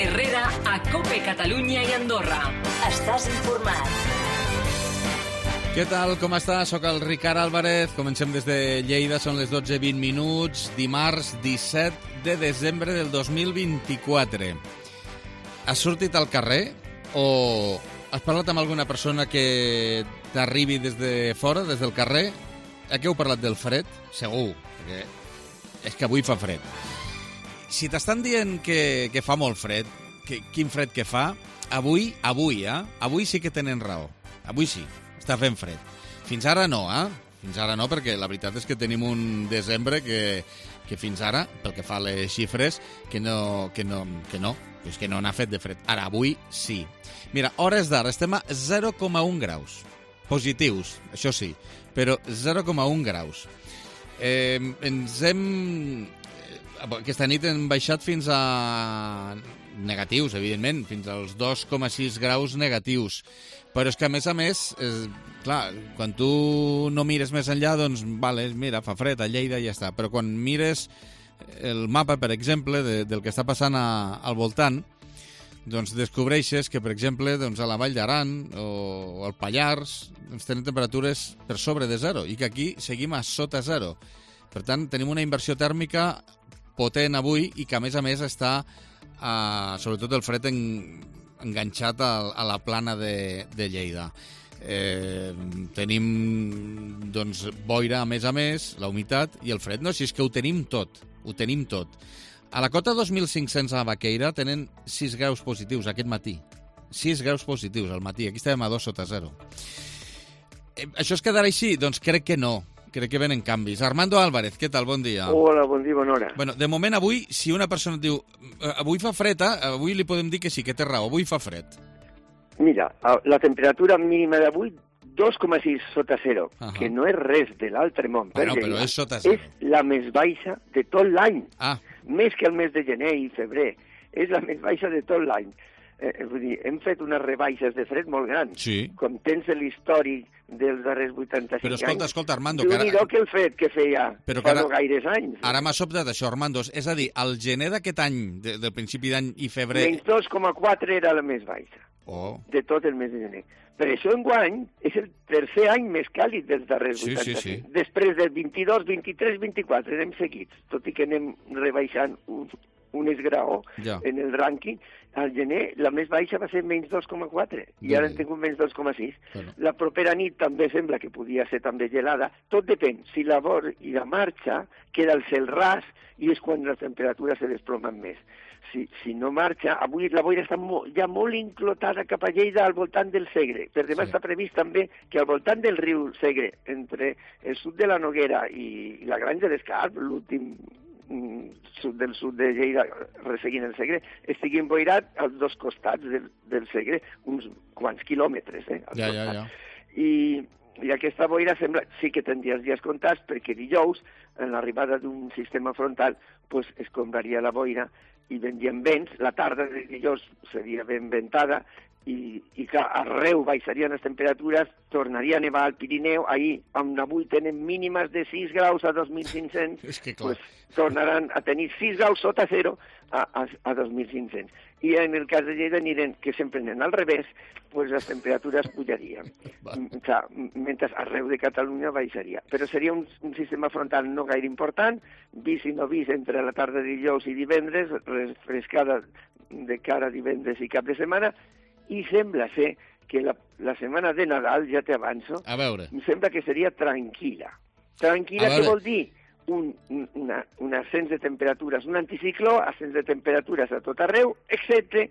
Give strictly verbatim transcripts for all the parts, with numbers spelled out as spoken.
Herrera a COPE Catalunya i Andorra. Estàs informat. Què tal, com està? Soc el Ricard Álvarez. Comencem des de Lleida, són les dotze i vint minuts, dimarts disset de desembre del dos mil vint-i-quatre. Has sortit al carrer o has parlat amb alguna persona que t'arribi des de fora, des del carrer? A què heu parlat del fred? Segur, perquè és que avui fa fred. Si t'estan dient que, que fa molt fred, que, quin fred que fa, avui, avui, eh? Avui sí que tenen raó. Avui sí, està fent fred. Fins ara no, eh? Fins ara no, perquè la veritat és que tenim un desembre que, que fins ara, pel que fa a les xifres, que no, que no, que no, és que no n'ha fet de fred. Ara, avui sí. Mira, hores d'ara, estem a zero coma un graus. Positius, això sí, però zero coma un graus. Eh, ens hem... Aquesta nit hem baixat fins a negatius, evidentment, fins als dos coma sis graus negatius. Però és que, a més a més, és, clar, quan tu no mires més enllà, doncs, vale, mira, fa fred a Lleida i ja està. Però quan mires el mapa, per exemple, de, del que està passant a, al voltant, doncs descobreixes que, per exemple, doncs, a la Vall d'Aran o al Pallars doncs, tenen temperatures per sobre de zero i que aquí seguim a sota zero. Per tant, tenim una inversió tèrmica potent avui i que, a més a més, està, eh, sobretot el fred, en, enganxat a, a la plana de, de Lleida. Eh, tenim, doncs, boira, a més a més, la humitat i el fred. No, si és que ho tenim tot, ho tenim tot. A la cota dos mil cinc-cents a Baqueira tenen sis graus positius aquest matí. sis graus positius al matí. Aquí estem a dos sota zero. Eh, això es quedarà així? Doncs crec que no. Crec que venen canvis. Armando Álvarez, què tal? Bon dia. Hola, bon dia, bona hora. Bueno, de moment avui, si una persona et diu avui fa fred, eh? Avui li podem dir que sí, que té raó, avui fa fred. Mira, la temperatura mínima d'avui dos coma sis sota zero, uh-huh. que no és res de l'altre món. Bueno, però és sota zero. És la més baixa de tot l'any. Ah. Més que el mes de gener i febrer. És la més baixa de tot l'any. Eh, vull dir, hem fet unes rebaixes de fred molt grans. Sí. Com tens l'històric dels darrers vuitanta-cinc Però escolta, anys. escolta, Armando... Déu-n'hi-do que, ara... que el fred que feia Però fa ara... no gaires anys. Ara m'ha sobtat això, Armando. És a dir, al gener d'aquest any, de, del principi d'any i febrer... Menys dos coma quatre era la més baixa. Oh. De tot el mes de gener. Per això enguany és el tercer any més càlid dels darrers sí, vuitanta-cinc. Sí, sí. Després del vint-i-dos, vint-i-tres, vint-i-quatre anem seguits, tot i que anem rebaixant un, un esgraó ja. En el rànquing. Al gener la més baixa va ser menys dos coma quatre i ara hem tingut menys dos coma sis. Bueno. La propera nit també sembla que podia ser també gelada. Tot depèn. Si la boira marxa, queda el cel ras i és quan les temperatures se desplomen més. Si, si no marxa, avui la boira està mo, ja molt inclotada cap a Lleida al voltant del Segre. Per demà sí. Està previst també que al voltant del riu Segre, entre el sud de la Noguera i la Granja d'Escarp, l'últim sud del sud de Lleida, resseguint el Segre, estigui emboirat als dos costats del, del Segre, uns quants quilòmetres, eh? Ja, ja, ja. I, I aquesta boira sembla, sí que tindria els dies comptats, perquè dijous, en l'arribada d'un sistema frontal, pues, es compraria la boira i vendrien vents, la tarda de dijous seria ben ventada, i, i que arreu baixarien les temperatures, tornaria a nevar al Pirineu, ahir, on avui tenen mínimes de sis graus a dos mil cinc-cents, és que pues, tornaran a tenir sis graus sota zero a, a, a dos mil cinc-cents. I en el cas de Lleida anirem, que sempre anem al revés, pues les temperatures pujarien. O sea, mentre arreu de Catalunya baixaria. Però seria un, un sistema frontal no gaire important, vist i no vist entre la tarda de dijous i divendres, refrescada de cara a divendres i cap de setmana, i sembla ser que la, la setmana de Nadal, ja t'avanço, a veure. Em sembla que seria tranquil·la. Tranquil·la, què vol dir? Un, una, un ascens de temperatures, un anticicló, ascens de temperatures a tot arreu, excepte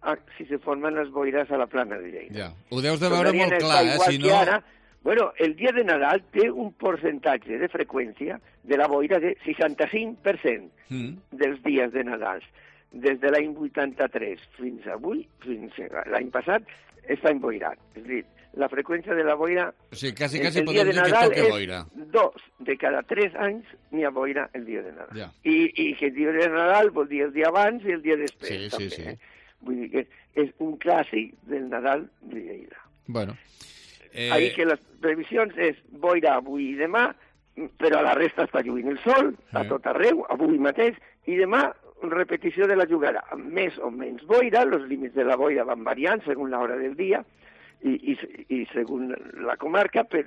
a, si se formen les boires a la plana de Lleida. Ja. Ho deus de veure molt clar, eh? Si no... Ara, bueno, el dia de Nadal té un percentatge de freqüència de la boira de seixanta-cinc per cent mm. dels dies de Nadal. Des de l'any vuitanta-tres fins avui, fins l'any passat, està emboirat. És a dir, la freqüència de la boira... O sigui, quasi, quasi podem dir que toca boira. Dos de cada tres anys n'hi ha boira el dia de Nadal. Ja. I, I que el dia de Nadal vol dir el dia abans i el dia després. Sí, també, sí, sí. Eh? Vull dir que és un clàssic del Nadal de Lleida. Bueno. Eh... Ahir que les previsions és boira avui i demà, però a la resta està lluint el sol, a tot arreu, avui mateix, i demà repetició de la jugada, amb més o menys boira, els límits de la boira van variant segons l'hora del dia i, i, i segons la comarca, per,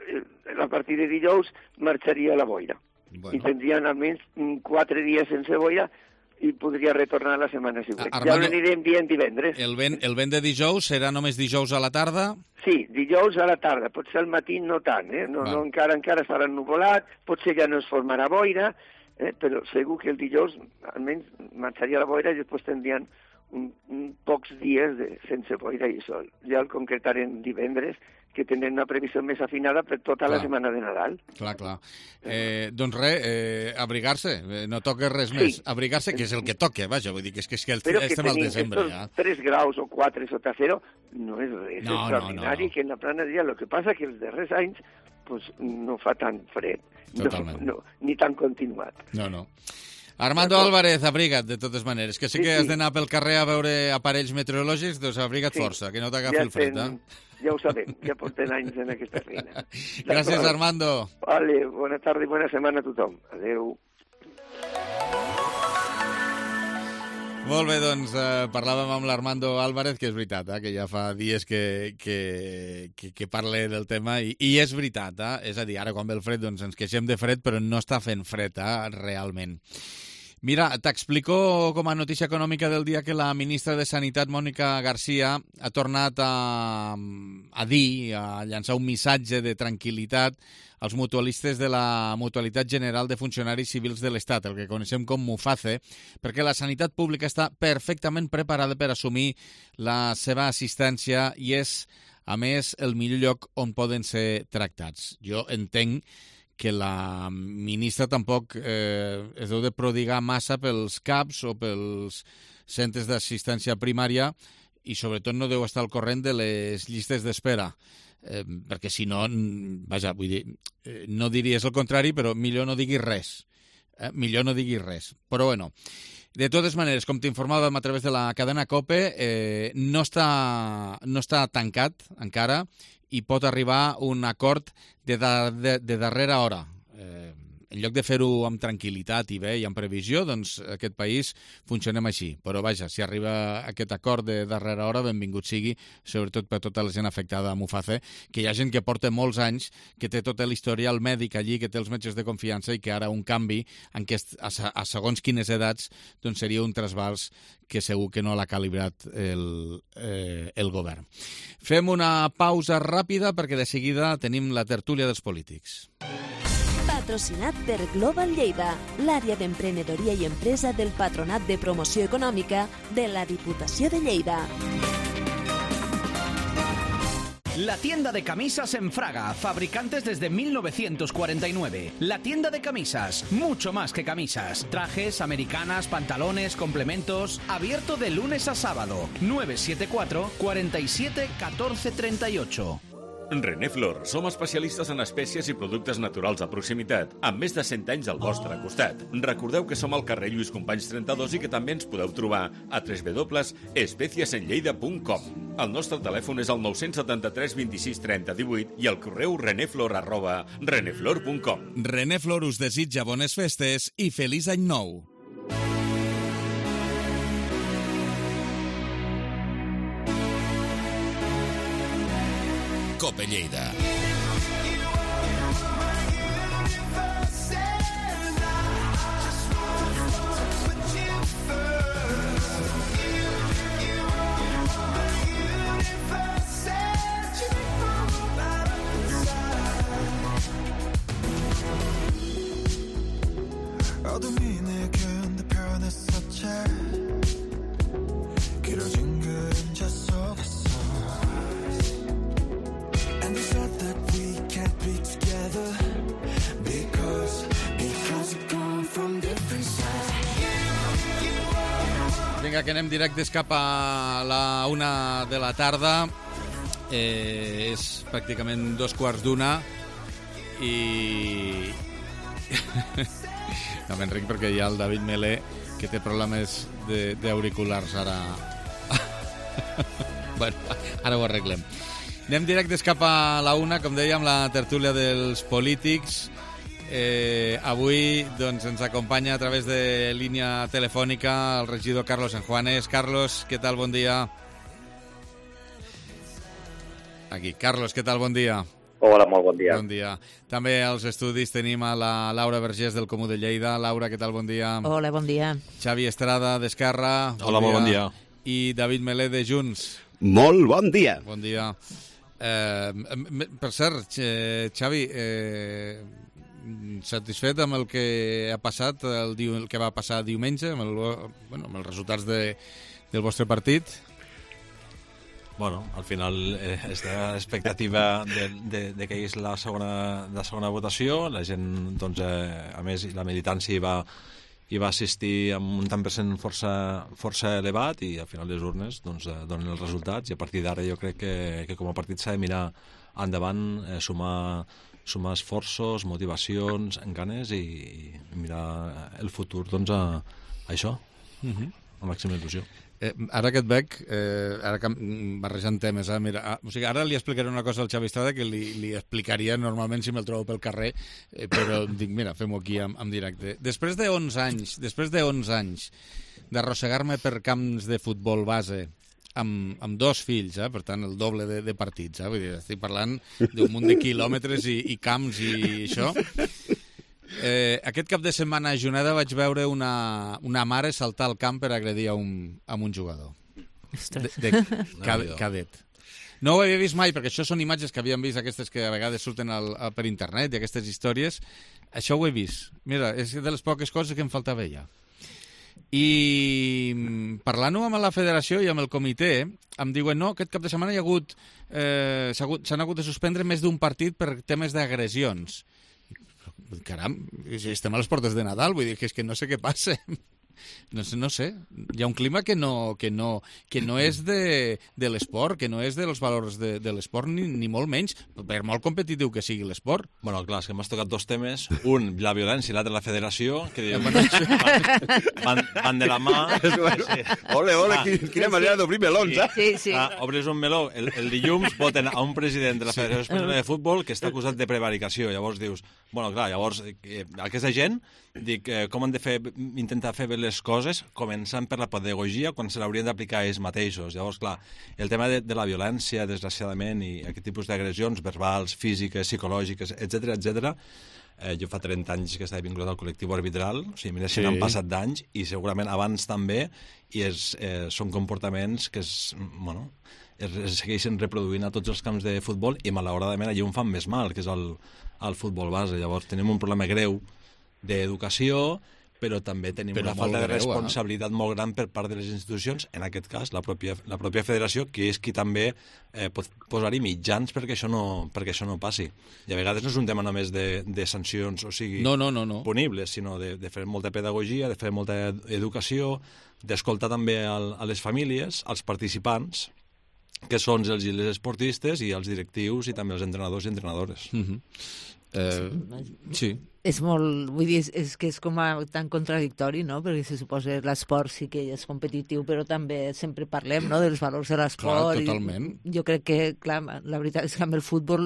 a partir de dijous marxaria la boira. Bueno. I tindrien almenys quatre dies sense boira i podria retornar la setmana següent. Armando, ja l'anirem dient divendres. El vent, el vent de dijous serà només dijous a la tarda? Sí, dijous a la tarda. Potser al matí no tant, eh? No, no, encara, encara estarà ennuvolat, potser ja no es formarà boira, eh? Però segur que el dijous almenys marxaria la boira i després tindrien un, un pocs dies de, sense boira i sol. Ja el concretarem divendres, que tenen una previsió més afinada per tota clar. La setmana de Nadal. Clar, clar. Eh, doncs res, eh, abrigar-se, eh, no toca res sí. més. Abrigar-se, que és el que toca, vaja, vull dir que és que, és que el, estem al desembre ja. tres graus o quatre sota zero no és res no, extraordinari, no, no, no. Que en la plana dia el que passa que els darrers anys pues, no fa tant fred, totalment. No, no, ni tan continuat. No, no. Armando Álvarez, abriga't, de totes maneres. Que sé sí, que has d'anar pel carrer a veure aparells meteorològics, doncs abriga't sí. força, que no t'agafi ja el fred, ten, eh? Ja ho sabem, ja portem anys en aquesta feina. Gràcies, Armando. Vale, bona tarda i bona setmana a tothom. Adéu. Molt bé, doncs eh, parlàvem amb l'Armando Álvarez, que és veritat, eh, que ja fa dies que, que, que, que parla del tema, i, i és veritat, eh? És a dir, ara quan ve el fred doncs ens queixem de fred, però no està fent fred, eh, realment. Mira, t'explico com a notícia econòmica del dia que la ministra de Sanitat, Mònica Garcia, ha tornat a, a dir, a llançar un missatge de tranquil·litat als mutualistes de la Mutualitat General de Funcionaris Civils de l'Estat, el que coneixem com MUFACE, perquè la sanitat pública està perfectament preparada per assumir la seva assistència i és, a més, el millor lloc on poden ser tractats. Jo entenc que la ministra tampoc eh, es deu de prodigar massa pels C A Ps o pels centres d'assistència primària i sobretot no deu estar al corrent de les llistes d'espera. Eh, perquè si no, vaja, vull dir, eh, no diries el contrari, però millor no diguis res. Eh? Millor no diguis res. Però bueno, de totes maneres, com t'informàvem a través de la cadena COPE, eh, no, està, no està tancat encara i pot arribar un acord de, de, de darrera hora. Eh, en lloc de fer-ho amb tranquil·litat i bé i amb previsió, doncs aquest país funcionem així. Però vaja, si arriba aquest acord de darrera hora, benvingut sigui, sobretot per tota la gent afectada a MUFACE, que hi ha gent que porta molts anys, que té tot l'historial mèdic allí, que té els metges de confiança i que ara un canvi en què a, a segons quines edats doncs seria un trasbals que segur que no l'ha calibrat el, eh, el govern. Fem una pausa ràpida perquè de seguida tenim la tertúlia dels polítics. Patrocinat per Global Lleida, l'àrea d'emprenedoria i empresa del Patronat de Promoció Econòmica de la Diputació de Lleida. La tienda de camisas en Fraga, fabricantes desde mil novecientos cuarenta y nueve. La tienda de camisas, mucho más que camisas. Trajes, americanas, pantalones, complementos. Abierto de lunes a sábado. nueve siete cuatro, cuatro siete, uno cuatro tres ocho. Reneflor, som especialistes en espècies i productes naturals a proximitat, amb més de cent anys al vostre costat. Recordeu que som al carrer Lluís Companys trenta-dos i que també ens podeu trobar a w w w punt espècies en lleida punt com. El nostre telèfon és el nou set tres, vint sis, trenta, divuit i el correu reneflor arroba reneflor punt com. Reneflor us desitja bones festes i feliç any nou. Cope Lleida. 어둠이 내게 변했었지 길어진 그림자 속에서 And they said that we can't be together Because, because we've come from different sides. Vinga, que anem directes cap a la una de la tarda. Eh, és pràcticament dos quarts d'una i... no m'enric perquè hi ha el David Melé que té problemes d'auriculars ara. Bueno, ara ho arreglem. Anem directes cap a la una, com dèiem, la tertúlia dels polítics. Eh, avui doncs, ens acompanya a través de línia telefònica el regidor Carlos Enjuanes. Carlos, què tal? Bon dia. Aquí. Carlos, què tal? Bon dia. Hola, molt bon dia. Bon dia. També als estudis tenim a la Laura Vergés del Comú de Lleida. Laura, què tal? Bon dia. Hola, bon dia. Xavi Estrada d'Esquerra. Hola, molt bon dia. I David Melé de Junts. Molt bon dia. Bon dia. Eh, per cert, Xavi, eh, satisfet amb el que ha passat, el, el que va passar diumenge, amb, el, bueno, amb els resultats de, del vostre partit? Bueno, al final eh, està l'expectativa de, de, de que hi és la segona, la segona votació. La gent, doncs, eh, a més, la militància hi va, hi va assistir amb un tant per cent força, força elevat i al final les urnes doncs, eh, donen els resultats i a partir d'ara jo crec que, que com a partit s'ha de mirar endavant, eh, sumar, sumar esforços, motivacions, ganes i, i mirar el futur doncs, a, a això, uh-huh. a màxima il·lusió. Eh, ara que et veig, eh, ara que barrejant temes, eh, mira, ah, o sigui, ara li explicaré una cosa al Xavi Estrada que li, li explicaria normalment si me'l trobo pel carrer, eh, però dic, mira, fem-ho aquí en, en directe. Després de onze anys, després de onze anys d'arrossegar-me per camps de futbol base, amb, amb dos fills, eh, per tant, el doble de, de partits, eh, vull dir, estic parlant d'un munt de quilòmetres i, i camps i això... Eh, aquest cap de setmana a Juneda vaig veure una, una mare saltar al camp per agredir a un, a un jugador de, de cad, cadet. No ho havia vist mai, perquè això són imatges que havíem vist, aquestes que a vegades surten al, a, per internet i aquestes històries. Això ho he vist. Mira, és de les poques coses que em faltava ja. I parlant-ho amb la federació i amb el comitè, em diuen no, aquest cap de setmana hi ha hagut, eh, s'han hagut, hagut de suspendre més d'un partit per temes d'agressions. Caram, estem a les portes de Nadal, vull dir que és que no sé què passa. No sé, no sé. Hi ha un clima que no, que no, que no és de, de l'esport, que no és dels valors de, de l'esport, ni, ni molt menys, per molt competitiu que sigui l'esport. Bueno, clar, és que m'has tocat dos temes. Un, la violència, i l'altre, la federació, que diuen, van, van de la mà. Sí. Ole, ole, ah, quina manera d'obrir melons, eh? Sí, sí. Ah, obres un meló, el, el dilluns voten a un president de la Federació Espanyola de Futbol que està acusat de prevaricació. Llavors dius, bueno, clar, llavors eh, aquesta gent, dic, eh, com han de fer, intentar fer bé les coses, començant per la pedagogia, quan se l'haurien d'aplicar ells mateixos. Llavors, clar, el tema de, de la violència, desgraciadament, i aquest tipus d'agressions verbals, físiques, psicològiques, etcètera, etcètera, eh, jo fa trenta anys que estava vinculat al col·lectiu arbitral, o sigui, mira, si sí. n'han passat d'anys, i segurament abans també, i és, eh, són comportaments que es, bueno, es, es segueixen reproduint a tots els camps de futbol, i malauradament allà on fan més mal, que és el, el futbol base. Llavors, tenim un problema greu d'educació, però també tenim però una falta de responsabilitat greu, eh? molt gran per part de les institucions, en aquest cas la pròpia, la pròpia federació, que és qui també eh, pot posar-hi mitjans perquè això, no, perquè això no passi. I a vegades no és un tema només de, de sancions, o sigui, no, no, no, no. punibles, sinó de, de fer molta pedagogia, de fer molta educació, d'escoltar també al, a les famílies, als participants, que són els, els esportistes i els directius i també els entrenadors i entrenadores. Mm-hmm. Eh, sí. És molt, vull dir, és, és que és com a, tan contradictori, no? Perquè se suposa l'esport sí que és competitiu, però també sempre parlem, no?, dels valors de l'esport. Clar, totalment. I jo crec que, clar, la veritat és que amb el futbol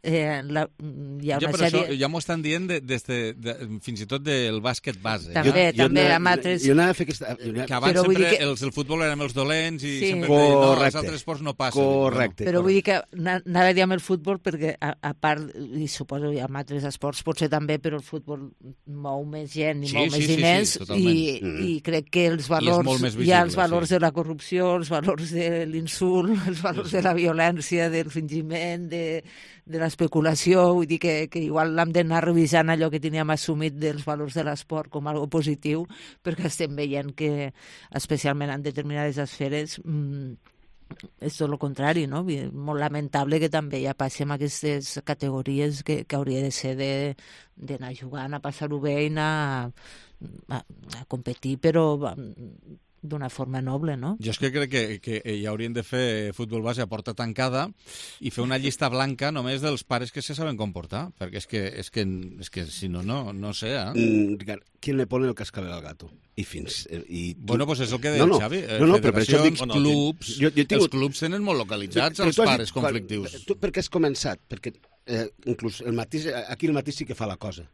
eh, la, hi ha ja, una però sèrie... Això, ja m'ho estan dient de, des de, de, fins i tot del bàsquet base. També, jo, també, jo, amb altres... Jo anava a fer aquesta... Jo que abans però sempre que... els, el futbol érem els dolents i sí. sempre deien, no, els Correcte. altres esports no passen. Correcte. Però correcte. vull dir que anava a dir amb el futbol perquè, a, a part, i suposo que amb altres esports potser també, però el futbol mou més gent i sí, mou sí, més sí, diners sí, sí, i, mm. i crec que els valors, visible, hi ha els valors sí. de la corrupció, els valors de l'insult, els valors sí, sí. de la violència, del fingiment, de, de l'especulació, vull dir que, que igual l'hem d'anar revisant allò que teníem assumit dels valors de l'esport com algo positiu, perquè estem veient que, especialment en determinades esferes, mmm, és tot el contrari, no? Molt lamentable que també ja passem aquestes categories que, que hauria de ser d'anar jugant, a passar-ho bé i anar a, a competir, però d'una forma noble, no? Jo és que crec que, que ja haurien de fer futbol base a porta tancada i fer una llista blanca només dels pares que se saben comportar, perquè és que, és que, és que si no, no, no sé, eh? Mm, Ricard, ¿quién le pone el cascabel al gato? I fins... I tu... Bueno, pues és el que deia no, no, Xavi. No, no, però per això dic... clubs, jo, jo tinc... els clubs tenen molt localitzats els pares dit, conflictius. Tu per què has començat? Perquè eh, inclús el matís, aquí el matís sí que fa la cosa.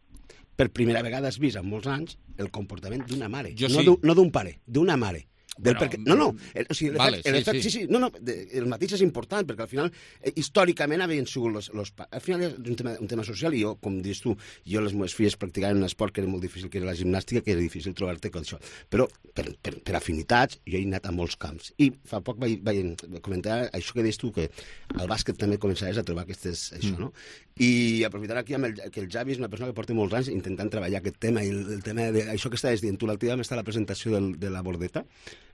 per primera vegada has vist en molts anys el comportament d'una mare, Jo no sí. d'un no d'un pare, d'una mare. Del Bueno, perquè, no, no, el, o sigui, el vale, efecte, el sí, efecte, sí. sí, sí, no, no, de, el mateix és important, perquè al final, eh, històricament havien sigut los, los... Al final és un tema, un tema social, i jo, com dius tu, jo les meves filles practicaven un esport que era molt difícil, que era la gimnàstica, que era difícil trobar-te amb això. Però, per, per, per afinitats, jo he anat a molts camps. I fa poc vaig, vaig comentar això que deies tu, que al bàsquet també començaves a trobar aquestes... això, Mm. no? I aprofitant aquí amb el, que el Javi és una persona que porta molts anys intentant treballar aquest tema, i el, el tema de això que estaves dient tu, l'altre dia vam estar a la presentació del, de la bordeta,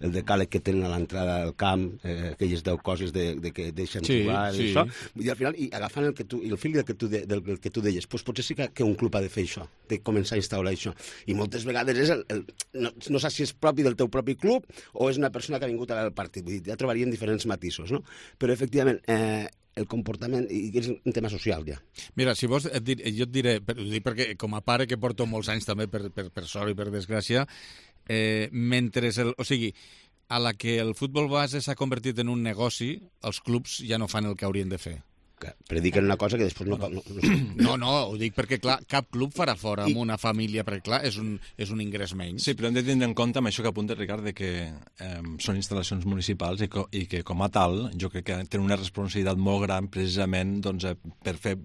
el decàleg que tenen a l'entrada del camp, eh, aquelles deu coses de, de que deixen Sí, jugar, sí. i això, i al final, i agafant el que tu, i el fil del que tu, de, del, del que tu deies, doncs potser sí que, que un club ha de fer això, de començar a instaurar això, i moltes vegades és el, el, no, no saps si és propi del teu propi club o és una persona que ha vingut a veure el partit, vull dir, ja trobaríem diferents matisos, no? Però efectivament, eh, el comportament, i és un tema social ja. Mira, si vols, et dir, jo et diré, per, ho dic perquè com a pare que porto molts anys també, per, per, per sort i per desgràcia, eh, mentre el... O sigui, a la que el futbol base s'ha convertit en un negoci, els clubs ja no fan el que haurien de fer. Que prediquen una cosa que després no... No, no, no, no ho dic perquè, clar, cap club farà fora amb una família, perquè, clar, és un, és un ingrés menys. Sí, però hem de tindre en compte amb això que apunta Ricard, de que eh, són instal·lacions municipals i, co i que, com a tal, jo crec que tenen una responsabilitat molt gran precisament doncs, eh, per fer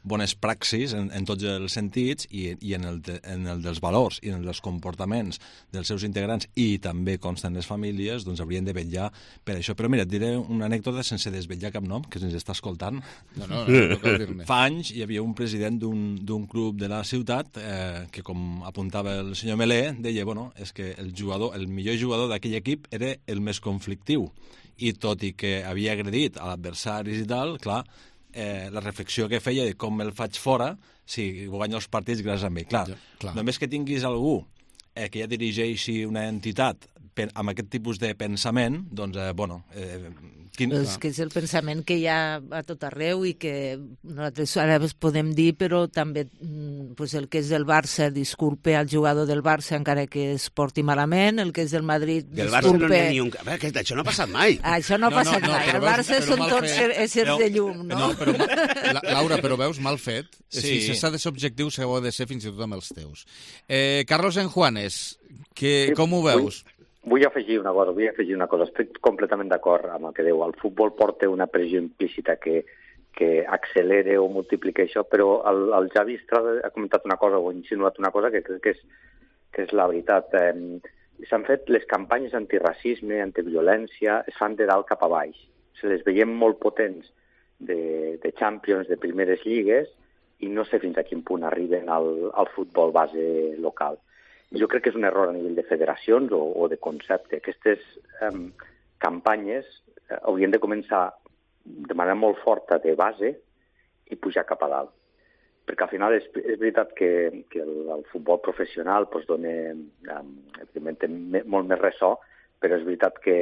bones praxis en, en tots els sentits i, i en, el de, en el dels valors i en els comportaments dels seus integrants, i també consten les famílies, doncs haurien de vetllar per això. Però mira, et diré una anècdota sense desvetllar cap nom, que se'ns està escoltant. No, no, no, no cal dir-ne. Fa anys hi havia un president d'un club de la ciutat eh, que, com apuntava el senyor Melé, deia, bueno, és que el jugador, el millor jugador d'aquell equip era el més conflictiu. I tot i que havia agredit a l'adversaris i tal, clar, eh, la reflexió que feia de com el faig fora si guanyo els partits gràcies a mi. Clar, ja, clar. Només que tinguis algú eh, que ja dirigeixi una entitat per, amb aquest tipus de pensament, doncs, eh, bueno... Eh, quin... És que és el pensament que hi ha a tot arreu i que nosaltres ara es podem dir, però també pues, el que és del Barça disculpe al jugador del Barça encara que es porti malament, el que és del Madrid que el disculpe... Barça no n'hi ha ni un... A veure, que això no ha passat mai. Això no ha No, passat no, no, mai. però El veus- Barça però són mal tots fet. éssers de llum, no? No, però, la, Laura, però veus, mal fet. Sí. Sí. Si s'ha de ser objectiu, s'ha de ser fins i tot amb els teus. Eh, Carlos Enjuanes, que, Sí, com ho veus? Vull, vull afegir una cosa, vull afegir una cosa. Estic completament d'acord amb el que diu. El futbol porta una pressió implícita que, que accelera o multiplica això, però el, el Javi Estrada ha comentat una cosa o ha insinuat una cosa que crec que és, que és la veritat. Eh, S'han fet les campanyes antiracisme, antiviolència, es fan de dalt cap a baix. Se les veiem molt potents de, de Champions, de primeres lligues, i no sé fins a quin punt arriben al, al futbol base local. Jo crec que és un error a nivell de federacions o, o de concepte. Aquestes um, campanyes eh, haurien de començar de manera molt forta de base i pujar cap a dalt. Perquè al final és, és veritat que, que el, el futbol professional pues, dona, um, evidentment, té me, molt més ressò, però és veritat que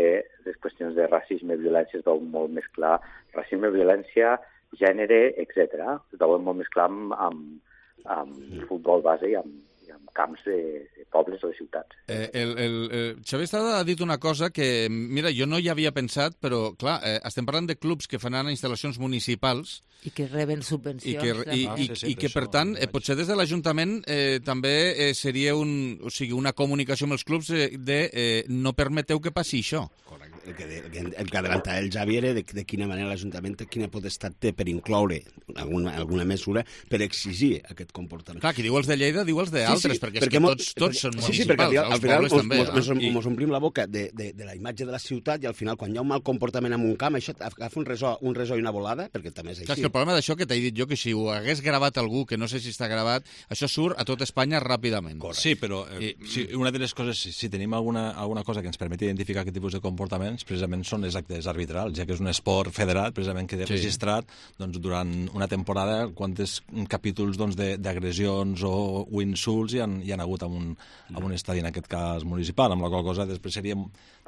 les qüestions de racisme i violència es veuen molt més clar. Racisme, violència, gènere, etcètera. Es veuen molt més clar amb, amb, amb futbol base i amb, i amb camps de, de pobles o de ciutats. Eh, el, el, el Xavier Estrada ha dit una cosa que, mira, jo no hi havia pensat, però, clar, eh, estem parlant de clubs que fan instal·lacions municipals I que reben i subvencions. que, i, Ah, i, sí, sí, i que per per això tant, ho eh, vaig- potser des de l'Ajuntament eh, també eh, seria un, o sigui, una comunicació amb els clubs eh, de eh, no permeteu que passi això. Correcte. El que, el que, el que adelantava el Javi era de, de quina manera l'Ajuntament, quina potestat té per incloure alguna, alguna mesura per exigir aquest comportament. Clar, qui diu els de Lleida diu els d'altres, perquè, és que mo- tots, tots són sí, sí, municipals, perquè al, els al final pobles mos, també. mos, mos, eh? I- mos omplim la boca de, de, de la imatge de la ciutat i al final quan hi ha un mal comportament en un camp això agafa un resó, un resó i una volada, perquè també és Clar, és així. que el problema d'això que t'he dit jo, que si ho hagués gravat algú, que no sé si està gravat, això surt a tot Espanya ràpidament. Sí, però eh, I- si una de les coses, si, si tenim alguna, alguna cosa que ens permeti identificar aquest tipus de comportaments, precisament són les actes arbitrals, ja que és un esport federat, precisament que té Sí. registrat doncs, durant una temporada quantes capítols doncs, de- d'agressions o, o insults hi han, hi han hagut en un, en un estadi, en aquest cas municipal, amb la qual cosa després seria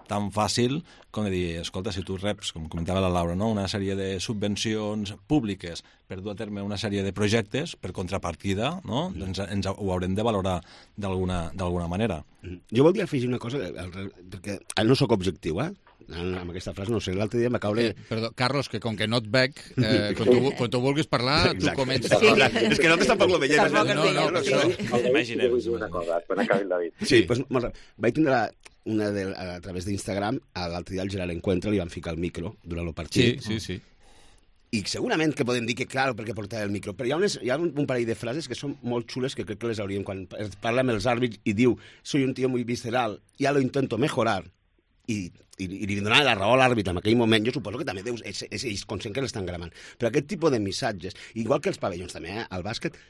tan fàcil com de dir, escolta, si tu reps, com comentava la Laura, no? una sèrie de subvencions públiques per dur a terme una sèrie de projectes per contrapartida, no? Mm. ens, ens ho haurem de valorar d'alguna d'alguna manera. Jo voldria afegir una cosa, al- perquè no sóc objectiu, eh? amb aquesta frase, no sé, l'altre dia em va caure... Eh, perdó, Carlos, que com que no et veig, eh, quan, tu, quan tu vulguis parlar, tu comences. Sí. És que nosaltres tampoc lo veiem. Tampoc el veiem, no, sí. no, Imaginem. Vull dir una cosa, quan acabi el David. Sí, doncs molt ràpid. Vaig tindre una de, a través d'Instagram, l'altre dia al Gerard Encuentra li van ficar el micro durant el partit. Sí, sí, sí. I segurament que podem dir que, clar, perquè portava el micro, però hi ha, unes, hi ha un, un parell de frases que són molt xules que crec que les hauríem... Quan parla amb els àrbits i diu «Soy un tío muy visceral, ya lo intento mejorar», i, i, i li donava la raó a l'àrbit en aquell moment, jo suposo que també deus, és, és, és conscient que l'estan gravant. Però aquest tipus de missatges, igual que els pavellons també, eh, al bàsquet,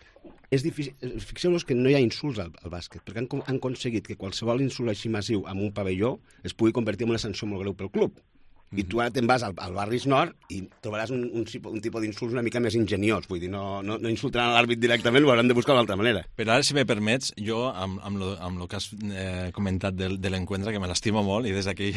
és difícil... Fixeu-vos que no hi ha insults al, al bàsquet, perquè han, han aconseguit que qualsevol insult així massiu amb un pavelló es pugui convertir en una sanció molt greu pel club. I tu ara te'n vas al, al Barris Nord i trobaràs un, un, un tipus d'insults una mica més ingeniós. Vull dir, no, no, no insultaran l'àrbit directament, ho hauran de buscar d'altra manera. Però ara, si me permets, jo, amb, amb, lo, amb lo que has eh, comentat del, de l'encuentre, que me l'estimo molt, i des d'aquí...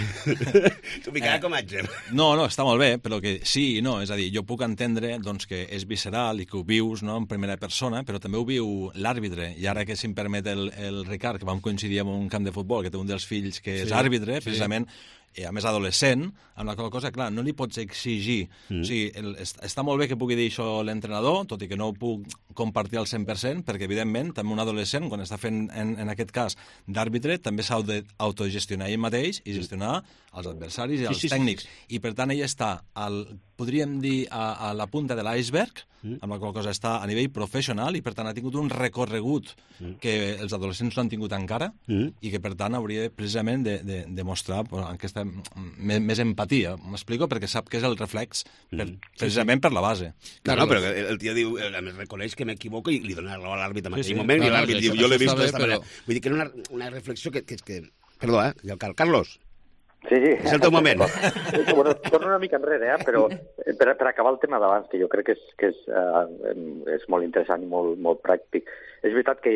T'ho ficarà eh, com a exemple. No, no, està molt bé, però que sí i no. És a dir, jo puc entendre doncs, que és visceral i que ho vius, no?, en primera persona, però també ho viu l'àrbitre. I ara que, si em permet el, el Ricard, que vam coincidir en un camp de futbol, que té un dels fills que és sí, àrbitre, sí, precisament... i a més adolescent, amb la qual cosa, clar, no li pots exigir. Mm. O sigui, el, està molt bé que pugui dir això l'entrenador, tot i que no ho puc compartir al cent per cent, perquè, evidentment, també un adolescent, quan està fent, en, en aquest cas, d'àrbitre, també s'ha d'autogestionar ell mateix i gestionar els adversaris i els sí, sí, tècnics. Sí, sí. I, per tant, ell està, al, podríem dir, a, a la punta de l'iceberg, mm. amb la qual cosa està a nivell professional, i, per tant, ha tingut un recorregut mm. que els adolescents no han tingut encara, mm. i que, per tant, hauria precisament de, de, de mostrar aquesta més, més empatia. M'explico? Perquè sap que és el reflex, per, mm. precisament sí, sí. per la base. No, no, però el tio diu, a més reconeix que m'equivoco i li dona raó a l'àrbit en aquell sí, sí. moment, no, i l'àrbit diu, jo l'he vist d'esta manera. Vull dir que era una, una reflexió que, que, que... Perdó, eh? Carlos? Sí, sí. És el teu moment. Bueno, torno una mica enrere, eh? Però per, per acabar el tema d'abans, que jo crec que és, que és, uh, és molt interessant i molt, molt pràctic. És veritat que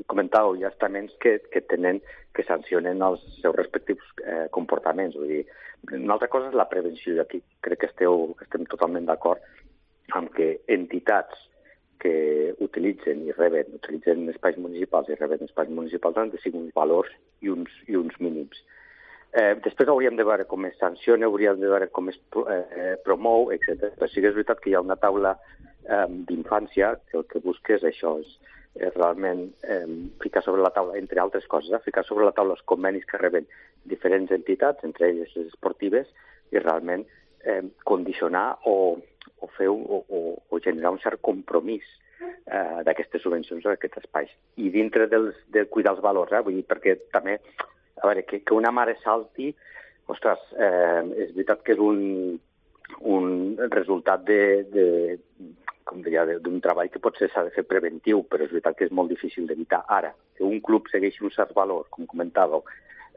comentàveu, hi ha estaments que, que tenen, que sancionen els seus respectius eh, comportaments. Vull dir, una altra cosa és la prevenció, i aquí crec que, esteu, que estem totalment d'acord amb que entitats que utilitzen i reben, utilitzen espais municipals i reben espais municipals han de seguir uns valors i uns, i uns mínims. Eh, després hauríem de veure com es sanciona, hauríem de veure com es eh, promou, etcètera. Però sí que és veritat que hi ha una taula eh, d'infància que el que busca és això, és, és realment eh, ficar sobre la taula, entre altres coses, eh, ficar sobre la taula els convenis que reben diferents entitats, entre elles les esportives, i realment eh, condicionar o, o fer o, o, o generar un cert compromís eh, d'aquestes subvencions a aquests espais. I dintre dels, de cuidar els valors, eh, vull dir, perquè també... A veure, que, que una mare salti, ostres, eh, és veritat que és un, un resultat de, de, com diria, d'un treball que potser s'ha de fer preventiu, però és veritat que és molt difícil d'evitar. Ara, que un club segueixi un cert valor, com comentàveu,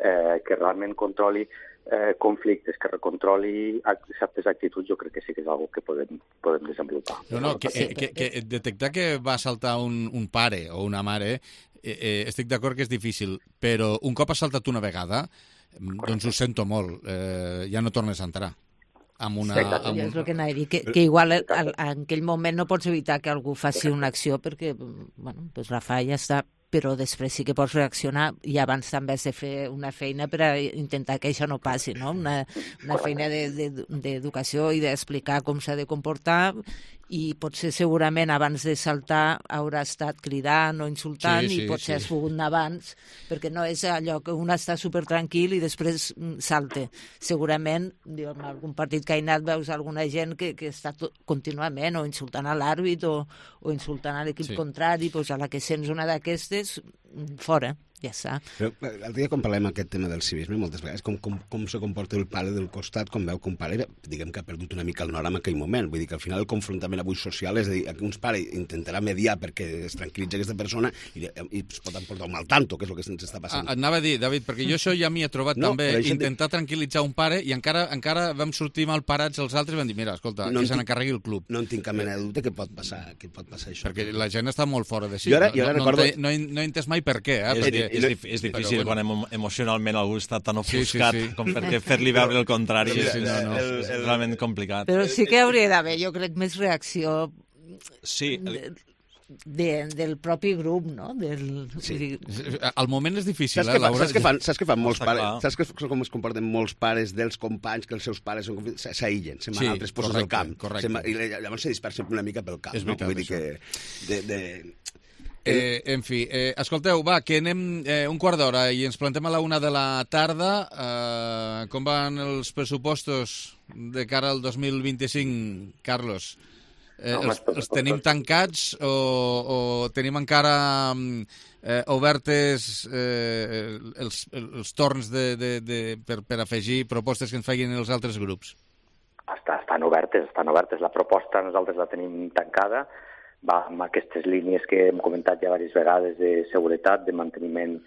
eh, que realment controli eh, conflictes, que recontroli certes actituds, jo crec que sí que és una cosa que podem, podem desenvolupar. No, no, que, que, que detectar que va saltar un, un pare o una mare, eh, eh, estic d'acord que és difícil, però un cop has saltat una vegada, doncs ho sento molt, eh, ja no tornes a entrar. Amb una, amb un... És el que anava a dir, que, que igual al, en aquell moment no pots evitar que algú faci una acció perquè, bueno, doncs la fa i ja està, però després sí que pots reaccionar i abans també has de fer una feina per a intentar que això no passi, no? Una, una feina d'educació de, de, i d'explicar com s'ha de comportar, i potser segurament abans de saltar haurà estat cridant o insultant, sí, sí, i potser sí. has pogut anar abans, perquè no és allò que un està supertranquil i després salte. Segurament, diu, en algun partit que ha anat veus alguna gent que, que està tot, contínuament o insultant a l'àrbit o, o insultant a l'equip sí. contrari, doncs a la que sents una d'aquestes, fora. Ja està. Però l'altre dia quan parlem aquest tema del civisme, moltes vegades, com, com, com se comporta el pare del costat quan veu que un pare, diguem que ha perdut una mica el nord en aquell moment. Vull dir que al final el confrontament avui social és a dir, que un pare intentarà mediar perquè es tranquil·litzi aquesta persona i, i es pot emportar un mal tanto, que és el que ens està passant. Ah, anava a dir, David, perquè jo això ja m'hi he trobat no, també, intentar de... tranquil·litzar un pare i encara encara vam sortir mal parats els altres i vam dir, mira, escolta, no que se n'encarregui el club. No en tinc cap mena de dubte que pot passar, que pot passar això. Perquè la gent està molt fora de si. Jo ara, jo ara no, recordo... no, he, no he entès mai per què, eh? És, perquè... és, és, és difícil bueno. quan emo emocionalment algú està tan ofuscat sí, sí, sí. com perquè fer-li veure el contrari sí, sí, no, no, és, és, és realment complicat. Però sí que hauria d'haver, jo crec, més reacció. Sí, de, del propi grup, no? Del... Sí. Al moment és difícil, saps eh, Laura? Saps què fan, saps què fan molts Està pares? clar. Saps que, com es comporten molts pares dels companys, que els seus pares són confi- s- s'aïllen, se'n van Sí, a altres postos correcte, del camp. correcte. Se'n va- I le- llavors se dispersen una mica pel camp. És veritat, no? Vull dir això. que... De, de... Eh, en fi, eh, escolteu, va, que anem eh, un quart d'hora i ens plantem a la una de la tarda. Eh, com van els pressupostos de cara al dos mil vint-i-cinc, Carlos? Eh, Home, els, els els tenim tancats o, o tenim encara mm, eh, obertes eh, els, els torns de, de, de, per, per afegir propostes que ens facin els altres grups? Està, estan obertes, estan obertes. La proposta nosaltres la tenim tancada, va amb aquestes línies que hem comentat ja diverses vegades de seguretat, de manteniment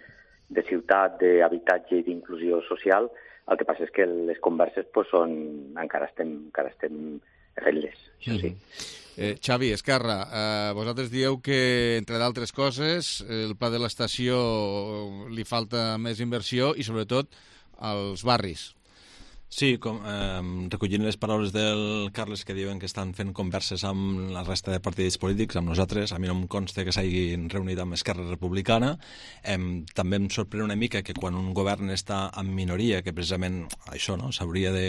de ciutat, d'habitatge i d'inclusió social. El que passa és que les converses pues, són... encara estem, encara estem fent-les, això sí. Mm-hmm. Eh, Xavi, Esquerra, eh, vosaltres dieu que, entre d'altres coses, el pla de l'estació li falta més inversió i, sobretot, als barris. Sí, com, eh, recollint les paraules del Carles que diuen que estan fent converses amb la resta de partits polítics, amb nosaltres, a mi no em consta que s'hagin reunit amb Esquerra Republicana. Eh, també em sorprèn una mica que quan un govern està en minoria, que precisament això no s'hauria de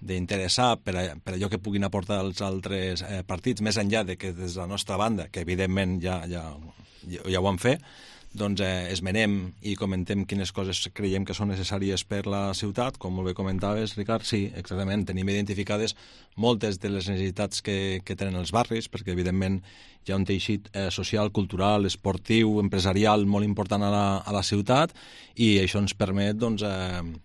d'interessar per, a, per allò que puguin aportar els altres eh, partits, més enllà de que des de la nostra banda, que evidentment ja, ja, ja, ja ho han fet, doncs eh, esmenem i comentem quines coses creiem que són necessàries per la ciutat, com molt bé comentaves, Ricard, sí, exactament, tenim identificades moltes de les necessitats que, que tenen els barris, perquè evidentment hi ha un teixit eh, social, cultural, esportiu, empresarial molt important a la, a la ciutat, i això ens permet, doncs, eh,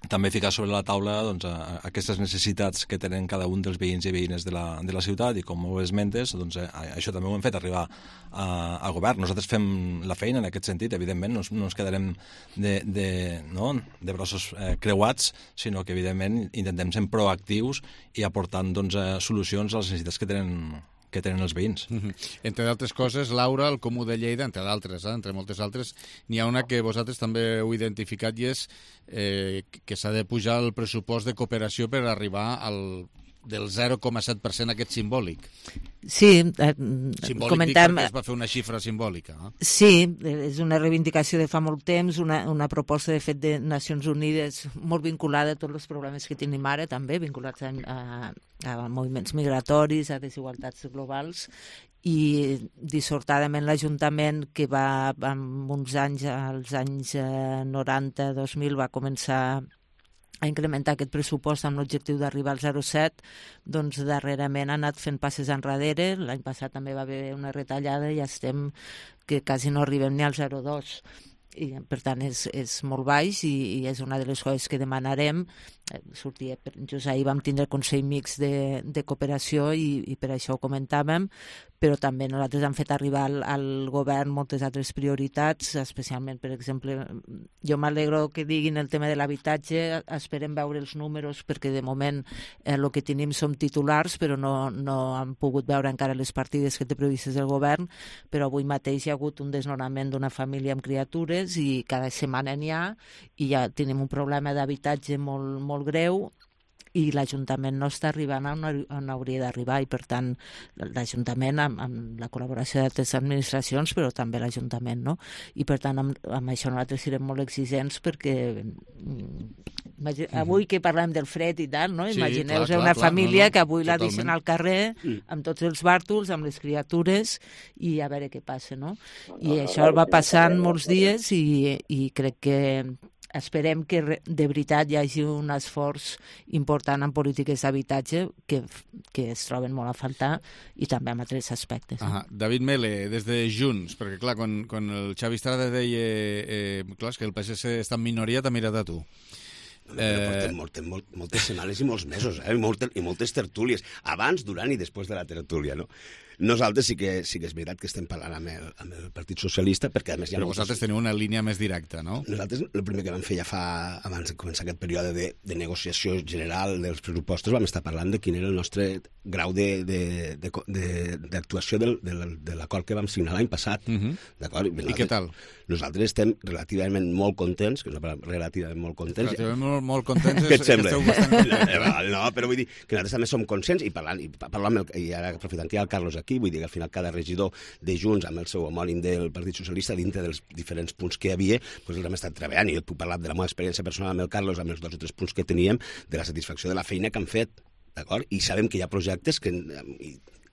també ficar sobre la taula doncs, a, a aquestes necessitats que tenen cada un dels veïns i veïnes de la, de la ciutat, i com ho esmentes, doncs, eh, això també ho hem fet arribar a, a govern. Nosaltres fem la feina en aquest sentit, evidentment, no, no ens quedarem de, de, no, de braços eh, creuats, sinó que, evidentment, intentem ser proactius i aportant doncs, eh, solucions a les necessitats que tenen que tenen els veïns. Mm-hmm. Entre d'altres coses, Laura, el Comú de Lleida, entre d'altres, eh, entre moltes altres, n'hi ha una que vosaltres també heu identificat i és eh, que s'ha de pujar el pressupost de cooperació per arribar al del zero coma set per cent aquest simbòlic. Sí, eh, simbòlic comentem... dic perquè es va fer una xifra simbòlica. Eh? Sí, és una reivindicació de fa molt temps, una, una proposta de fet de Nacions Unides molt vinculada a tots els problemes que tenim ara, també vinculats a, a, a moviments migratoris, a desigualtats globals, i dissortadament l'Ajuntament, que va en uns anys, als anys noranta dos mil, va començar a incrementar aquest pressupost amb l'objectiu d'arribar al zero coma set, doncs darrerament ha anat fent passes enrere. L'any passat també va haver una retallada i ja estem que quasi no arribem ni al zero coma dos. I, per tant, és, és molt baix i, i és una de les coses que demanarem. Sortia, just ahir vam tindre el Consell Mixt de, de Cooperació i, i per això ho comentàvem, però també nosaltres hem fet arribar al, al govern moltes altres prioritats, especialment, per exemple, jo m'alegro que diguin el tema de l'habitatge, esperem veure els números perquè de moment eh, el que tenim som titulars, però no, no han pogut veure encara les partides que té previstes el govern, però avui mateix hi ha hagut un desnonament d'una família amb criatures i cada setmana n'hi ha, i ja tenim un problema d'habitatge molt, molt molt greu i l'Ajuntament no està arribant on, on hauria d'arribar i, per tant, l'Ajuntament amb, amb la col·laboració d'altres administracions, però també l'Ajuntament, no? I, per tant, amb, amb això nosaltres serem molt exigents perquè imagine, mm-hmm. avui que parlem del fred i tal, no? Sí, imagineu-vos una clar, família clar, no, no, que avui totalment. La deixen al carrer amb tots els bàrtols, amb les criatures i a veure què passa, no? I això va passant molts dies i, i crec que esperem que de veritat hi hagi un esforç important en polítiques d'habitatge que, que es troben molt a faltar i també en altres aspectes. Ah, David Mele, des de Junts, perquè clar, quan, quan el Xavi Estrada deia eh, clar, que el P S C està en minoria, t'ha mirat a tu. No, però portem, portem molt, moltes setmanes i molts mesos, eh? I, moltes, i moltes tertúlies, abans, durant i després de la tertúlia, no? Nosaltres sí que, sí que és veritat que estem parlant amb el, amb el Partit Socialista, perquè a més hi ha Però vosaltres teniu una línia més directa, no? Nosaltres el primer que vam fer ja fa, abans de començar aquest període de, de negociació general dels pressupostos, vam estar parlant de quin era el nostre grau d'actuació de, de, de, de, de l'acord que vam signar l'any passat. Uh-huh. D'acord? I què tal? Nosaltres estem relativament molt contents, que és una paraula relativament molt contents. Relativament molt, molt contents. Què et sembla? Bastant... No, però vull dir que nosaltres també som conscients i parlant, i parlant amb el, i ara aprofitant que hi ha el Carlos aquí, aquí, vull dir que al final cada regidor de Junts amb el seu homònim del Partit Socialista dintre dels diferents punts que hi havia, doncs els hem estat treballant, i jo et puc parlar de la meva experiència personal amb el Carlos, amb els dos o tres punts que teníem, de la satisfacció de la feina que han fet, d'acord? I sabem que hi ha projectes que...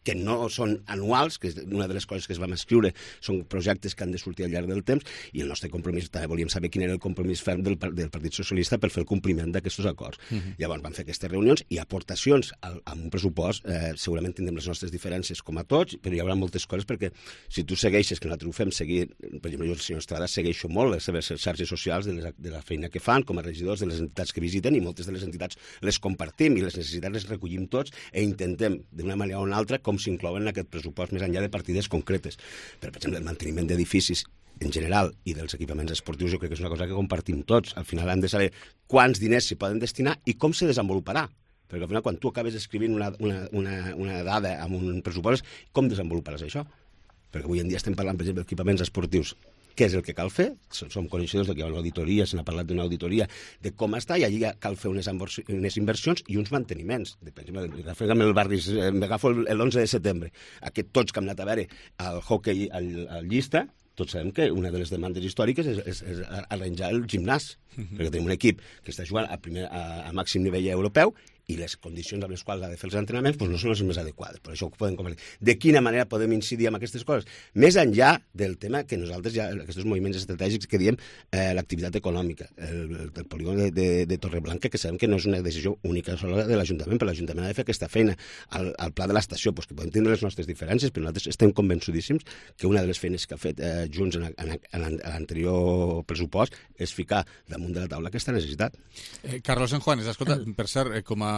que no són anuals, que és una de les coses que es vam escriure, són projectes que han de sortir al llarg del temps, i el nostre compromís, també volíem saber quin era el compromís ferm del, del Partit Socialista per fer el compliment d'aquests acords. Uh-huh. Llavors vam fer aquestes reunions i aportacions al, amb un pressupost, eh, segurament tindrem les nostres diferències com a tots, però hi haurà moltes coses perquè si tu segueixes, que nosaltres ho fem seguir, per exemple, jo el senyor Estrada segueixo molt les seves xarxes socials de, les, de la feina que fan com a regidors de les entitats que visiten, i moltes de les entitats les compartim i les necessitats les recollim tots e intentem d'una manera o una altra com s'inclouen en aquest pressupost més enllà de partides concretes. Per exemple, el manteniment d'edificis en general i dels equipaments esportius jo crec que és una cosa que compartim tots. Al final hem de saber quants diners s'hi poden destinar i com se desenvoluparà. Perquè al final quan tu acabes escrivint una, una, una, una dada amb un pressupost, com desenvoluparàs això? Perquè avui en dia estem parlant, per exemple, d'equipaments esportius. Què és el que cal fer? Som coneixedors que hi ha una auditoria, se n'ha parlat d'una auditoria de com està, i allí cal fer unes, unes inversions i uns manteniments. Per exemple, agafem el barri, m'agafo l'onze de setembre. Aquest tots que hem anat a veure el hockey al, al Llista, tots sabem que una de les demandes històriques és, és, és arranjar el gimnàs, uh-huh. perquè tenim un equip que està jugant a, primer, a, a màxim nivell europeu i les condicions amb les quals ha de fer els entrenaments doncs no són les més adequades. Per això ho podem compartir. De quina manera podem incidir en aquestes coses? Més enllà del tema que nosaltres ja, aquests moviments estratègics que diem eh, l'activitat econòmica, el, el, el polígon de, de, de Torreblanca, que sabem que no és una decisió única sola de l'Ajuntament, però l'Ajuntament ha de fer aquesta feina. Al, al pla de l'estació, doncs que podem tindre les nostres diferències, però nosaltres estem convençudíssims que una de les feines que ha fet eh, Junts en, en, en, en l'anterior pressupost és ficar damunt de la taula aquesta necessitat. Eh, Carlos Enjuanes, escolta, per cert, eh, com a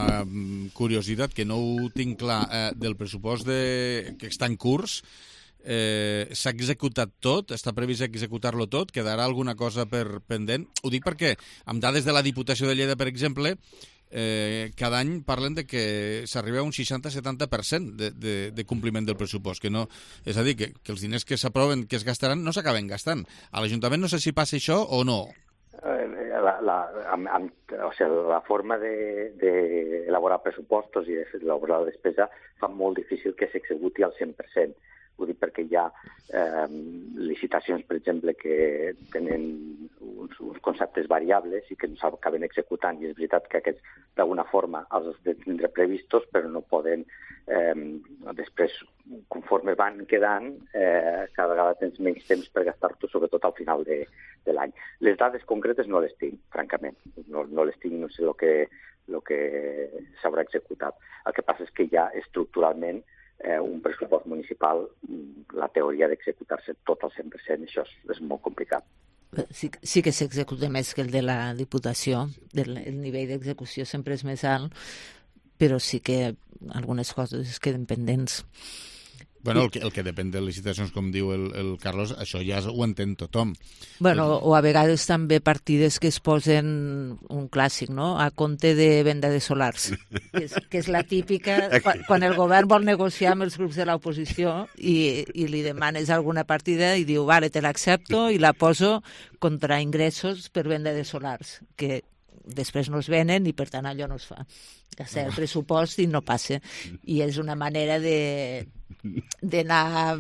curiositat, que no ho tinc clar, eh, del pressupost de... que està en curs, eh, s'ha executat tot? Està previst executar-lo tot? Quedarà alguna cosa per pendent? Ho dic perquè, amb dades de la Diputació de Lleida, per exemple, eh, cada any parlen de que s'arriba a un seixanta a setanta per cent de, de, de compliment del pressupost. Que no, és a dir, que, que els diners que s'aproven, que es gastaran, no s'acaben gastant. A l'Ajuntament no sé si passa això o no. La, la, amb, amb, o sigui, la forma d'elaborar de, de pressupostos i d'elaborar la despesa fa molt difícil que s'executi al cent per cent. Ho dic perquè hi ha eh, licitacions, per exemple, que tenen uns, uns conceptes variables i que no s'acaben executant, i és veritat que aquests d'alguna forma els has de tindre previstos, però no poden, eh, després, conforme van quedant, eh, cada vegada tens menys temps per gastar-ho, sobretot al final de, de l'any. Les dades concretes no les tinc, francament. No, no les tinc, no sé el que, el que s'haurà executat. El que passa és que ja estructuralment Eh, un pressupost municipal, la teoria d'executar-se tot al cent per cent, això és, és molt complicat. Sí, sí que s'executa més que el de la Diputació, el, el nivell d'execució sempre és més alt, però sí que algunes coses es queden pendents. Bueno, el que, el que depèn de licitacions, com diu el, el Carlos, això ja ho entén tothom. Bueno, o a vegades també partides que es posen un clàssic, no?, a compte de venda de solars, que és, que és la típica, quan, quan el govern vol negociar amb els grups de l'oposició i, i li demanes alguna partida i diu, vale, te l'accepto i la poso contra ingressos per venda de solars, que després no es venen i per tant allò no es fa. Gastar el pressupost i no passa. I és una manera de d'anar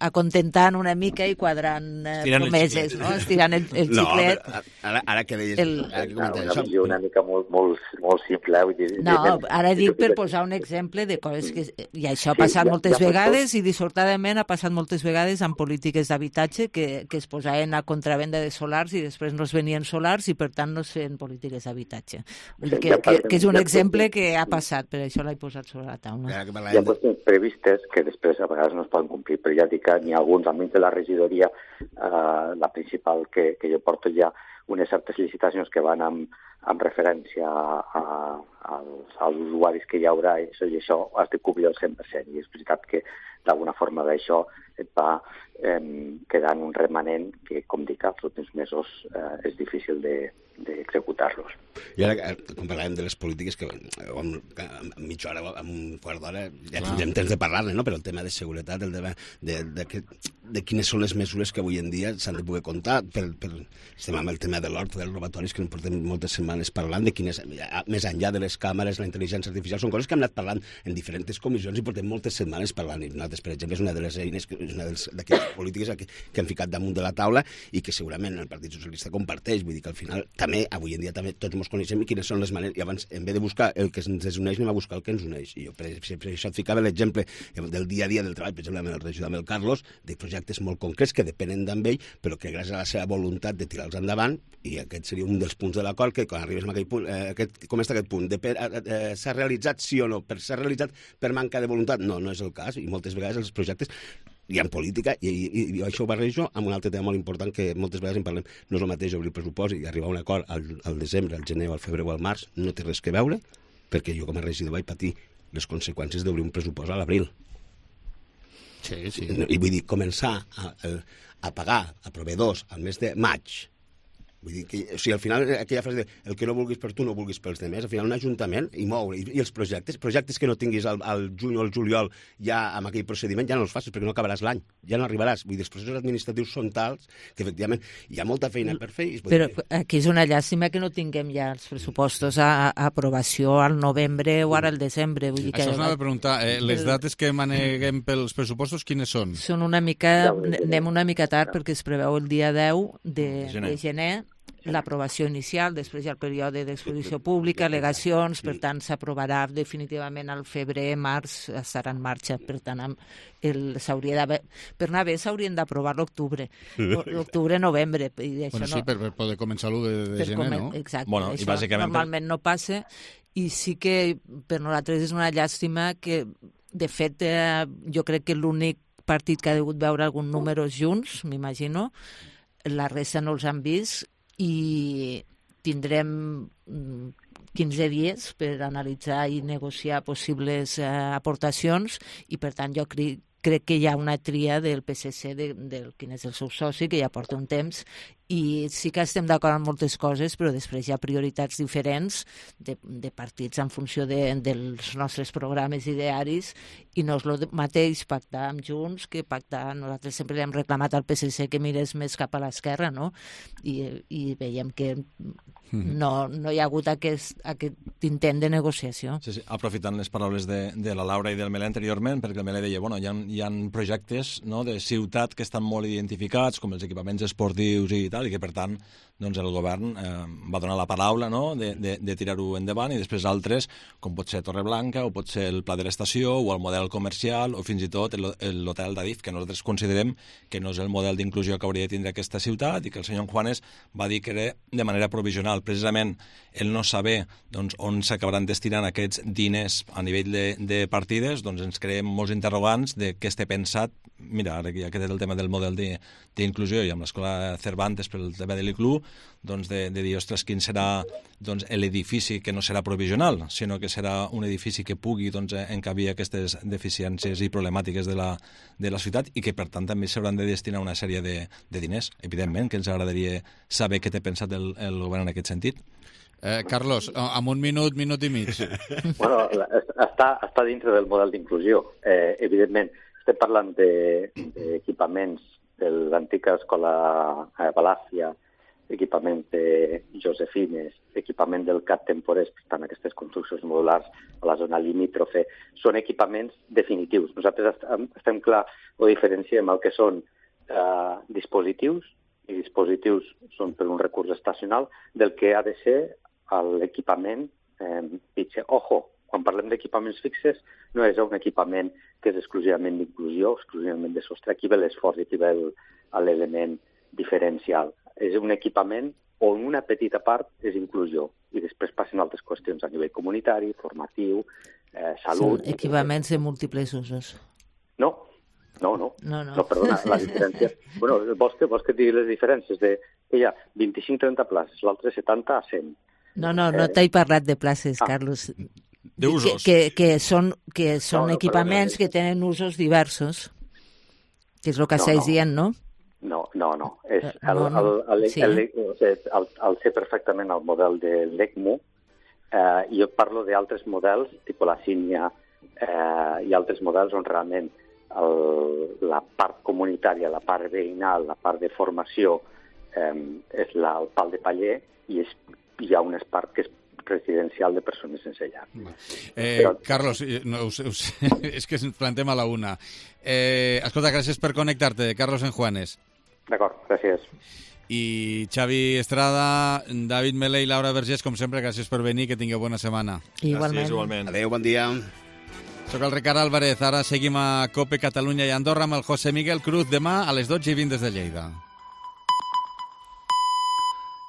acontentant una mica i quadrant eh, promeses, no? Estirant el, el xiclet. No, ara, ara que deies... El... Ara que una això... visió una mica molt, molt, molt simple. Vull dir, no, ara dic per posar un exemple de coses que... I això ha passat sí, moltes ja, ja vegades i dissortadament ha passat moltes vegades amb polítiques d'habitatge que, que es posaven a contravenda de solars i després no es venien solars i per tant no es feien polítiques d'habitatge. Vull dir que, que, que és un exemple que ha passat, per això l'he posat sobre la taula. Hi ha qüestions previstes que després a vegades no es poden complir, però ja dic que n'hi ha alguns, almenys de la regidoria, eh, la principal que, que jo porto ja, unes certes licitacions que van amb, amb referència a, a, als, als usuaris que hi haurà, i això, i això has de cobrir el cent per cent, i és veritat que d'alguna forma d'això et va eh, quedant un remanent que, com dic, als últims mesos eh, és difícil de, d'executar-los. I ara, quan parlàvem de les polítiques, que en, en mitja hora, en un quart d'hora, ja tindrem temps de parlar-ne, no? Però el tema de seguretat, el tema de, de, de, de quines són les mesures que avui en dia s'han de poder comptar. Per, per, estem amb el tema de l'hort, dels robatoris, que en portem moltes setmanes parlant, de quines, més enllà de les càmeres, la intel·ligència artificial, són coses que hem anat parlant en diferents comissions i portem moltes setmanes parlant. I nosaltres, per exemple, és una de les eines, és una d'aquestes polítiques que, que hem ficat damunt de la taula i que segurament el Partit Socialista comparteix. Vull dir que al final també, avui en dia també tots ens coneixem i quines són les maneres. I abans, en vez de buscar el que ens desuneix, anem a buscar el que ens uneix. I jo, per, per això et ficava l'exemple del dia a dia del treball, per exemple, amb el regidor, amb el Carlos, de projectes molt concrets que depenen d'ell, però que gràcies a la seva voluntat de tirar-los endavant, i aquest seria un dels punts de l'acord, que quan arribes a aquell punt, eh, aquest, com està aquest punt, de per, eh, s'ha realitzat sí o no, per s'ha realitzat per manca de voluntat, no, no és el cas, i moltes vegades els projectes hi ha política, i, i, i això ho barrejo amb un altre tema molt important que moltes vegades en parlem. No és el mateix obrir el pressupost i arribar a un acord al, al desembre, al gener, al febrer o al març, no té res que veure, perquè jo com a regidor vaig patir les conseqüències d'obrir un pressupost a l'abril. Sí, sí. I vull dir, començar a, a pagar a proveïdors al mes de maig. Vull dir que, o sigui, al final, aquella frase de el que no vulguis per tu no vulguis pels demés, al final un ajuntament i moure, i, i els projectes, projectes que no tinguis al, al juny o al juliol ja amb aquell procediment, ja no els facis perquè no acabaràs l'any, ja no arribaràs. Vull dir, els processos administratius són tals que efectivament hi ha molta feina per fer. I Però dir... aquí és una llàstima que no tinguem ja els pressupostos a, a aprovació al novembre o ara al desembre. Vull dir que... Això us anava a preguntar, eh, les dates que maneguem pels pressupostos, quines són? Són una mica, anem una mica tard perquè es preveu el dia deu de, gener. de gener, l'aprovació inicial, després hi ha el període d'exposició pública, al·legacions, per tant s'aprovarà definitivament al febrer, març, estarà en marxa, per tant el, s'hauria d'haver, per anar bé s'haurien d'aprovar l'octubre, l'octubre, novembre. I això bueno, sí, no, per, per poder començar l'u de, de gener, comen, no? Exacte, bueno, això i bàsicament normalment no passa, i sí que per nosaltres és una llàstima que, de fet, eh, jo crec que l'únic partit que ha degut veure algun número junts, m'imagino, la resta no els han vist, i tindrem quinze dies per analitzar i negociar possibles eh, aportacions i, per tant, jo crec, crec que hi ha una tria del P S C, de, del quin és el seu soci, que ja porta un temps, i sí que estem d'acord en moltes coses, però després hi ha prioritats diferents de, de partits en funció de, dels nostres programes idearis, i no és el mateix pactar amb Junts que pactar... Nosaltres sempre li hem reclamat al P S C que mirés més cap a l'esquerra, no? I, i veiem que no, no hi ha hagut aquest, aquest intent de negociació. Sí, sí. Aprofitant les paraules de, de la Laura i del Melé anteriorment, perquè el Melé deia, bueno, hi ha, hi ha projectes, no, de ciutat que estan molt identificats, com els equipaments esportius i tal, i que, per tant, doncs el govern eh, va donar la paraula, no?, de, de, de tirar-ho endavant, i després altres, com pot ser Torreblanca, o pot ser el Pla de l'Estació, o el model comercial, o fins i tot l'hotel d'Adif, que nosaltres considerem que no és el model d'inclusió que hauria de tindre aquesta ciutat, i que el senyor Juanes va dir que era de manera provisional. Precisament el no saber doncs, on s'acabaran destinant aquests diners a nivell de, de partides, doncs ens creem molts interrogants de què té pensat. Mira, ara que ja queda el tema del model d'inclusió, i amb l'escola Cervantes per el tema de l'I C L U, doncs de, de dir, ostres, quin serà doncs, l'edifici que no serà provisional, sinó que serà un edifici que pugui doncs, encabir aquestes deficiències i problemàtiques de la, de la ciutat, i que, per tant, també s'hauran de destinar una sèrie de, de diners. Evidentment que ens agradaria saber què té pensat el, el govern en aquest sentit. Eh, Carlos, en un minut, minut i mig. Bueno, està, està dintre del model d'inclusió. Eh, evidentment, estem parlant d'equipaments de, de l'antiga escola eh, Balàcia, equipament de Josefines, equipament del C A T temporers, per tant, aquestes construccions modulars a la zona limítrofe, són equipaments definitius. Nosaltres estem clar o diferenciem el que són eh, dispositius, i dispositius són per un recurs estacional, del que ha de ser l'equipament eh, fix. Ojo, quan parlem d'equipaments fixes, no és un equipament que és exclusivament d'inclusió, exclusivament de sostre. Aquí ve l'esforç i aquí ve l'element diferencial. És un equipament on una petita part és inclusió i després passen altres qüestions a nivell comunitari, formatiu, eh, salut... Són equipaments de múltiples usos. No, no, no. No, no. no perdona, la diferència... bueno, vols que, vols que et digui les diferències? De, que hi ha vint-i-cinc a trenta places, l'altre setanta a cent. No, no, no t'he parlat de places, ah. Carlos. D'usos. Que, que, que són, que són no, no, equipaments perdona. que tenen usos diversos, que és el que No, estàs no. dient, no? No, no, no. És el, No, no. el, el, Sí. el, el, el, el sé perfectament el model de l'ECMO, eh, i jo parlo d'altres models, tipus la Sínia, eh, i altres models on realment el, la part comunitària, la part veïnal, la part de formació eh, és la, el pal de paller i és, hi ha una part que és residencial de persones sense llar. Eh, Però... Carlos, no, us, us, és que ens plantem a la una. Eh, escolta, gràcies per connectar-te. Carlos Enjuanes. D'acord, gràcies. I Xavi Estrada, David Melé i Laura Vergés, com sempre, gràcies per venir, que tingueu bona setmana. Igualment. Gràcies, igualment. Adéu, bon dia. Soc el Ricard Álvarez, ara seguim a COPE Catalunya i Andorra amb el José Miguel Cruz demà a les dotze i vint des de Lleida.